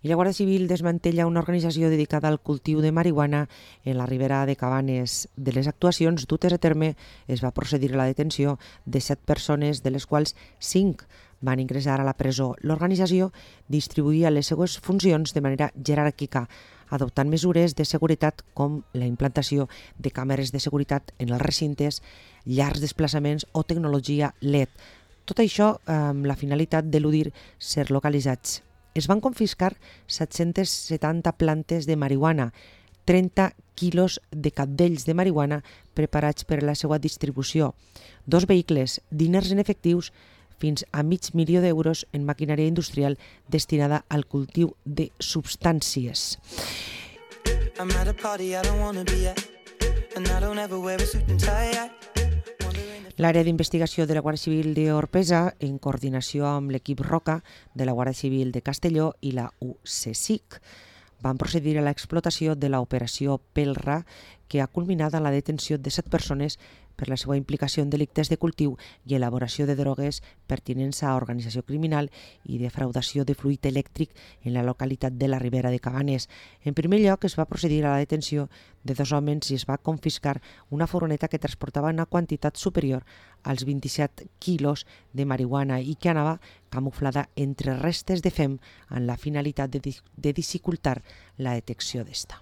I la Guàrdia Civil desmantella una organització dedicada al cultiu de marihuana en la Ribera de Cabanes. De les actuacions dutes a terme es va procedir a la detenció de 7 persones, de les quals 5 van ingressar a la presó. L'organització distribuïa les seues funcions de manera jeràrquica, adoptant mesures de seguretat com la implantació de càmeres de seguretat en els recintes, llargs desplaçaments o tecnologia LED. Tot això amb la finalitat d'eludir ser localitzats. Es van confiscar 770 plantes de marihuana, 30 quilos de cabdells de marihuana preparats per a la seva distribució, 2 vehicles, diners en efectius, fins a $500,000 en maquinària industrial destinada al cultiu de substàncies. L'àrea d'investigació de la Guàrdia Civil d'Orpesa, en coordinació amb l'equip Roca de la Guàrdia Civil de Castelló i la UCSIC, van procedir a l'explotació de l'operació Pelra, que ha culminat en la detenció de 7 persones per la seva implicació en delictes de cultiu i elaboració de drogues, pertinença a organització criminal i defraudació de fluid elèctric en la localitat de la Ribera de Cabanes. En primer lloc, es va procedir a la detenció de 2 homes i es va confiscar una furgoneta que transportava una quantitat superior als 27 quilos de marihuana i que anava camuflada entre restes de fem amb la finalitat de dificultar la detecció d'esta.